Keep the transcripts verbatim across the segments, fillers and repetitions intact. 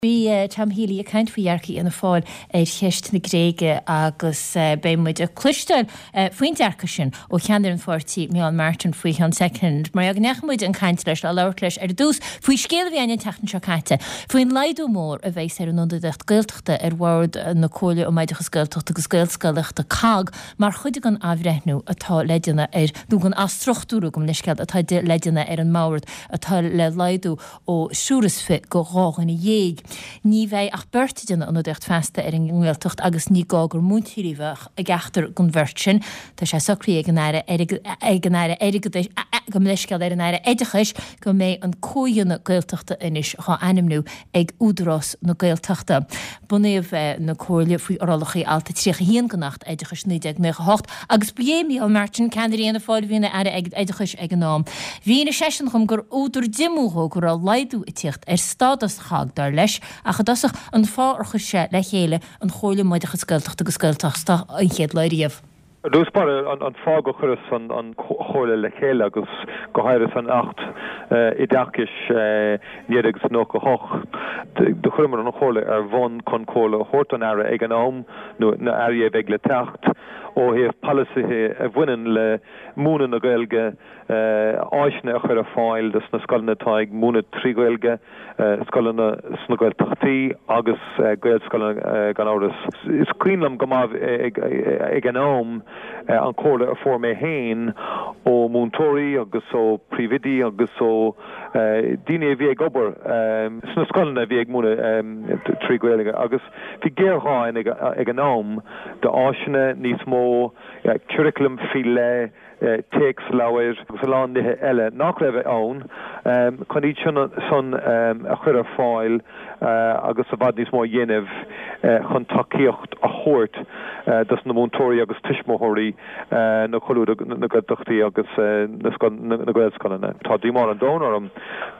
Bhí Tom Healy ag caint faoi dhearcadh Fhianna Fáil ar cheist na Gréige agus beidh muid ag cloisteáil faoin dearcadh sin ó cheannaire an pháirtí Micheál Martin faoi cheann soicind. Mar go ndeachaigh muid chun cainte leis le labhairt leis ar dtús faoi scéal a bhí ann an tseachtain seo caite, faoin laghdú mór a bheas ar an ionadaíocht Gaeltachta ar bhord na Comhairle um Oideachas Gaeltachta agus Gaelscolaíochta COGG mar chuid den athbhreithniú atá le déanamh ar nó den athstruchtúrú gabh mo leithscéal atá le déanamh ar an mbord atá le laghdú ó thriúr is fiche go dhá dhuine dhéag. Ní bheidh ach beirt ag déanamh ionadaíocht feasta ar an nGaeltacht agus ní gá gur múinteoirí a bheadh i gceachtar den bheirt sin. Tá sé socraithe ag an Aire ag an Aire Airgeadais gabh mo leithscéal ar an Aire Oideachais go mbeidh an comhdhéanamh Gaeltachta anois á ainmniú ag Údarás na Gaeltachta. Bunaíodh na Comhairle faoi fhorálacha alt tríocha haon den Acht Oideachais naoi déag nócha hocht agus ba é Micheál Martin ceannaire Fhianna Fáil a bhí ina Aire Oideachais ag an am. Mhínigh seisean dhom gur údar díomá dhó go raibh laghdú ag tíocht ar stádas COGG dar leis ach i dtosach an fáth ar chuir sé le chéile an Chomhairle um Oideachas Gaeltachta agus Gaelscolaíochta an chéad lá riamh. Dús bar an fáth gur chuireas an an chomhairle le chéile agus go háirithe san Acht Oideachais naoi déag nócha hocht do chuireamar an chomhairle ar bhun chun comhairle a thabhairt don Aire ag an am nó na hairí a bheidh le teacht ó thaobh polasaithe a bhaineann le múineadh na Gaeilge áiseanna a chur ar fáil dos na scoileanna atá ag múineadh trí Ghaeilge, scoileanna sna Gaeltachtaí agus Gaelscoileanna gan amhras. Is cuimhin liom go maith ag an am an chomhairle a fuair mé féin ó mhúinteoirí agus ó phríomhoidí agus ó daoine a bhí ag obair sna scoileanna a bhí ag múineadh trí Ghaeilge agus bhí géarghá ag an am d'áiseanna níos mó curriculum faoi leith téacsleabhair agus a lán nithe eile nach raibh ann chun iad sin san a chur ar fáil agus i bhfad níos mó a dhéanamh chun tacaíocht a thabhairt dos na múinteoirí agus tuismitheoirí na na Gaeltachtaí agus na Gaelscoileanna. Tá díomá an domhain orm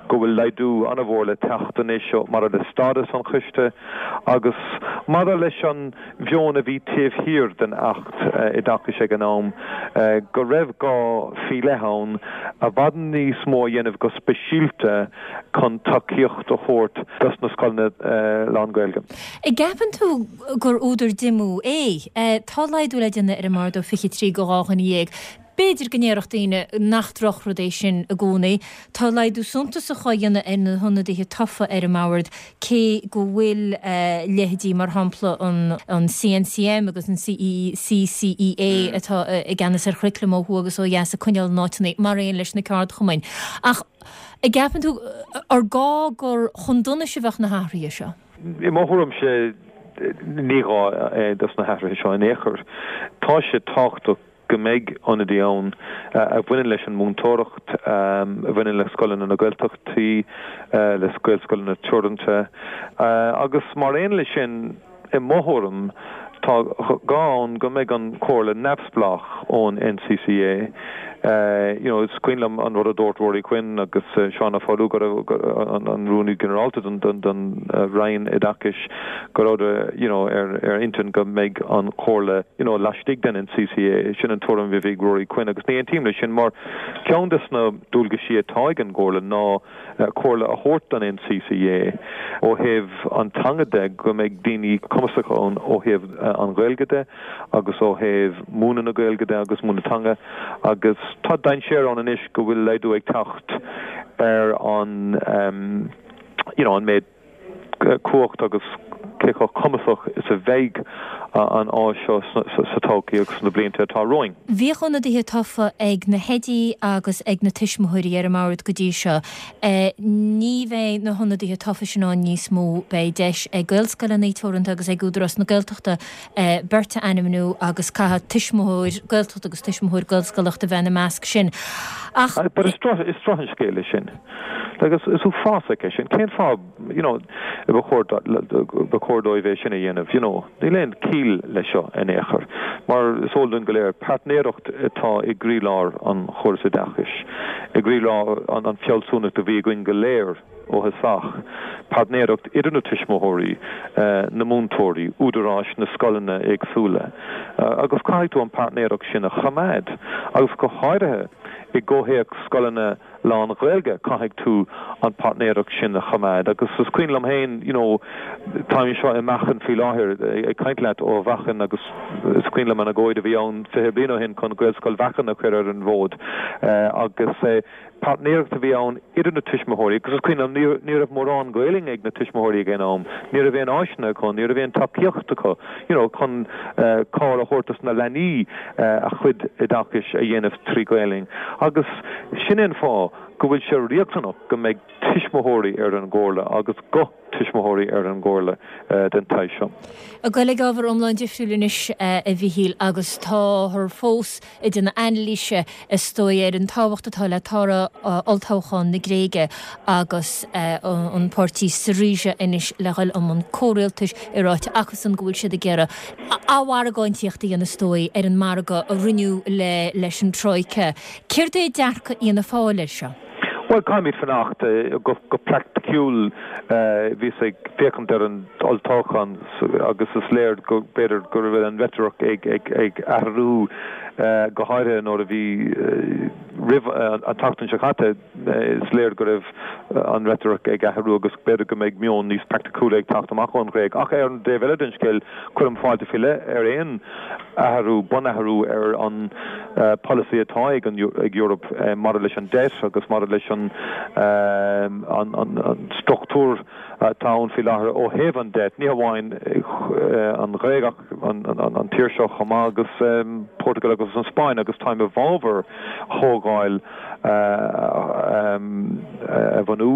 go bhfuil laghdú an-mhór le teacht anois maidir le stádas an choiste agus maidir leis an mheon a bhí taobh thiar den Acht Oideachais ag an am go raibh gá faoi leith ann i bhfad níos mó a dhéanamh go speisialta chun tacaíocht a thabhairt dos na scoileanna lán-Ghaeilge. An gceapann tú gur údar díomá é tá laghdú le déanamh ar an mbord ó fiche trí go dhá dhuine dhéag. B'fhéidir go ndéarfadh daoine nach drochrud é sin i gcónaí. Tá laghdú suntasach á dhéanamh ar na hionadaithe tofa ar an mbord cé go bhfuil leithéidí mar shampla an an CNCM agus an CCEA atá i gceannas ar churaclam ó thuaidh agus ó dheas ag coinneáil na n-áiteanna mar aon leis na ceardchumainn. Ach an gceapann tú ar gá gur chun donais a bheadh na hathruithe seo. I mo thuairimse ní gá é dos na hathruithe seo in aon chor. Tá sé tábhachtach go mbeidh ionadaí ann a bhaineann leis an múinteoireacht, a bhaineann le scoileanna na Gaeltachtaí, le Gaelscoileanna teoranta agus mar aon leis sin i mo thuairim tá gá ann go mbeidh an chomhairle neamhspleách ón NCCA. You know, is cuimhin liom an rud a dúirt Ruairí Quinn agus Seán Ó Foghlú an an rúnaí ginearálta don don don Roinn Oideachais go raibh you know, ar ar intinn go mbeidh an chomhairle you know, laistigh den NCCA sin an tuairim a bhí Ruairí Quinn agus ní aontaím leis sin mar ceann des na dualgaisí atá ag an gcomhairle ná comhairle a thabhairt don NCCA ó thaobh an teanga de go mbeidh daoine cumasacha ann ó thaobh an Ghaeilge de agus ó thaobh múineadh na Gaeilge de agus múineadh teanga agus tá dainséar ann anois go bhfuil laghdú ag teacht ar an um, you know, an méid cumhacht agus cé chomh cumasach is a bheidh an áis seo sa todhchaí agus sna blianta atá romhainn. Bhíodh ionadaithe tofa ag na hoidí agus ag na tuismitheoirí ar an mbord go dtí seo. Ní bheidh na hionadaithe tofa sin ann níos mó beidh deis ag Gaelscoileanna Teoranta agus ag Údarás na Gaeltachta beirt a ainmniú agus caithfidh tuismitheoir Gaeltacht agus tuismitheoir Gaelscolaíochta bheith ina measc sin. Ach But is is drochscéal é sin. Agus is uafásach é sin cén fáth you know, ba chóir dóibh é sin a dhéanamh, you know, níl aon chiall leis seo in aon chor. Mar is eol dúinn go léir páirtnéireacht atá i gcroílár an chóras oideachais, i gcroílár an an fealsúnacht a bhí againn go léir ó thosach, páirtnéireacht idir na tuismitheoirí, na múinteoirí, údaráis na scoileanna éagsúla. Agus caithfidh tú an páirtnéireacht sin a choimeád, agus go háirithe i gcomhthéacs scoileanna lán-Ghaeilge, caithfidh tú an páirtnéireacht sin a choimeád. Agus is cuimhin liom féin, you know, táim anseo i Meachain faoi láthair, ag caint leat ó Mheachain agus is cuimhin liom an agóid a bhí ann fiche bliain ó shin chun Gaelscoil Mheachain a chur ar an bhfód agus páirtnéireacht a bhí ann idir na tuismitheoirí agus is cuimhin liom ní raibh mórán Gaeilge ag na tuismitheoirí ag an am, ní raibh aon áiseanna acu, ní raibh aon tacaíocht acu, you know, chun cabhair a thabhairt dos na leanaí a chuid oideachais a dhéanamh trí Ghaeilge. Agus sin é an fáth go bhfuil sé riachtanach go mbeidh tuismitheoirí ar an gcomhairle agus guth tuismitheoirí ar an gcomhairle den tsaghas seo. Ag dul ag ábhar iomlán difriúil anois a Mhichíl agus táthar fós ag déanamh anailíse is dóigh ar an tábhacht atá le toradh olltoghchán na Gréige agus an páirtí Syriza anois le dhul i mbun comhrialtais é ráite acusan go bhfuil siad ag iarraidh athmhargáintíocht a dhéanamh is dóigh ar an margadh a rinneadh le leis an Troika. Céard é dearcadh Fhianna Fáil air seo? Bhuel, caithfimid fanacht. Go praiticiúil, bhíos ag féachaint ar an olltoghchán agus is léir go b'fhéidir go raibh an reitric ag athrú, go háirithe nuair a bhí roimh an tseachtain seo caite, is léir go raibh an reitric ag athrú agus b'fhéidir go mbeidh meon níos praiticiúla ag teacht amach ón Ghréig. Ach ar an dtaobh eile den scéal, cuirim fáilte faoi leith ar aon athrú, bunathrú ar an polasaí atá ag an ag Eoraip maidir leis an debt agus maidir leis an an struchtúr atá ann faoi láthair ó thaobh an debt, ní hamháin an Ghréig ach an tír seo chomh maith agus Portugal agus an Spáinn agus táim i bhfabhar chomhdháil a bhunú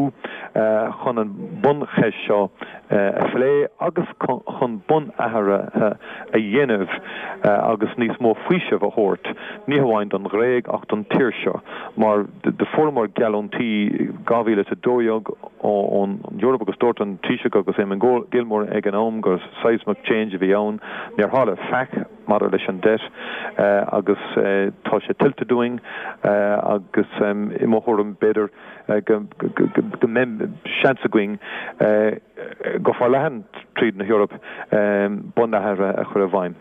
chun an buncheist seo a phlé agus chun bunathruithe a dhéanamh agus níos mó faoisimh a thabhairt, ní hamháin don Ghréig ach don tír seo, mar do fuaireamar geallúintí dhá mhíle is a dó dhéag ón Eoraip agus dúirt an Taoiseach agus Eamon Gilmore ag an am gur seismic change a bhí ann. Níor tharla faic maidir leis an debt agus tá sé tuillte dúinn agus i mo thuairim b'fhéidir go mbeidh seans againn go forleathan tríd na hEoraip bunathruithe a chur i bhfeidhm.